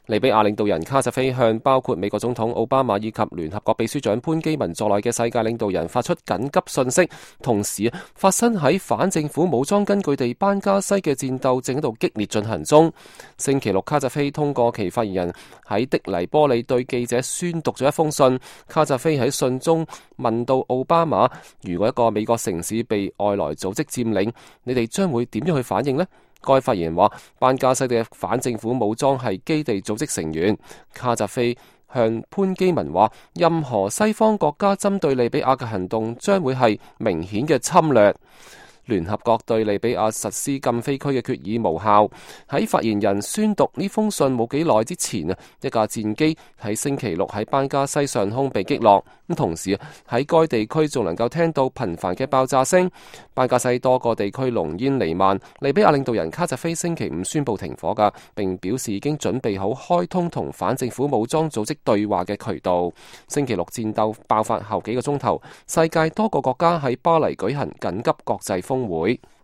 利比亞領導人卡扎菲向包括美國總統奧巴馬以及聯合國秘書長潘基文在內嘅世界領導人發出緊急訊息，同時發生喺反政府武裝根據地班加西嘅戰鬥正喺度激烈進行中。星期六，卡扎菲通過其發言人喺的黎波里對記者宣讀咗一封信。卡扎菲喺信中問到奧巴馬，如果一個美國城市被外來組織佔領，你哋將會點樣去反應呢？該發言人話，班加西嘅反政府武裝係基地組織成員。卡扎菲向潘基文話，任何西方國家針對利比亞嘅行動將會係明顯嘅侵略。聯合國對利比亞實施禁飛區嘅決議無效。喺發言人宣讀呢封信冇幾耐之前一架戰機喺星期六喺班加西上空被擊落。咁同時喺該地區仲能夠聽到頻繁嘅爆炸聲。班加西多個地區濃煙彌漫。利比亞領導人卡扎菲星期五宣布停火㗎，並表示已經準備好開通同反政府武裝組織對話嘅渠道。星期六戰鬥爆發後幾個鐘頭，世界多個國家喺巴黎舉行緊急國際峰會。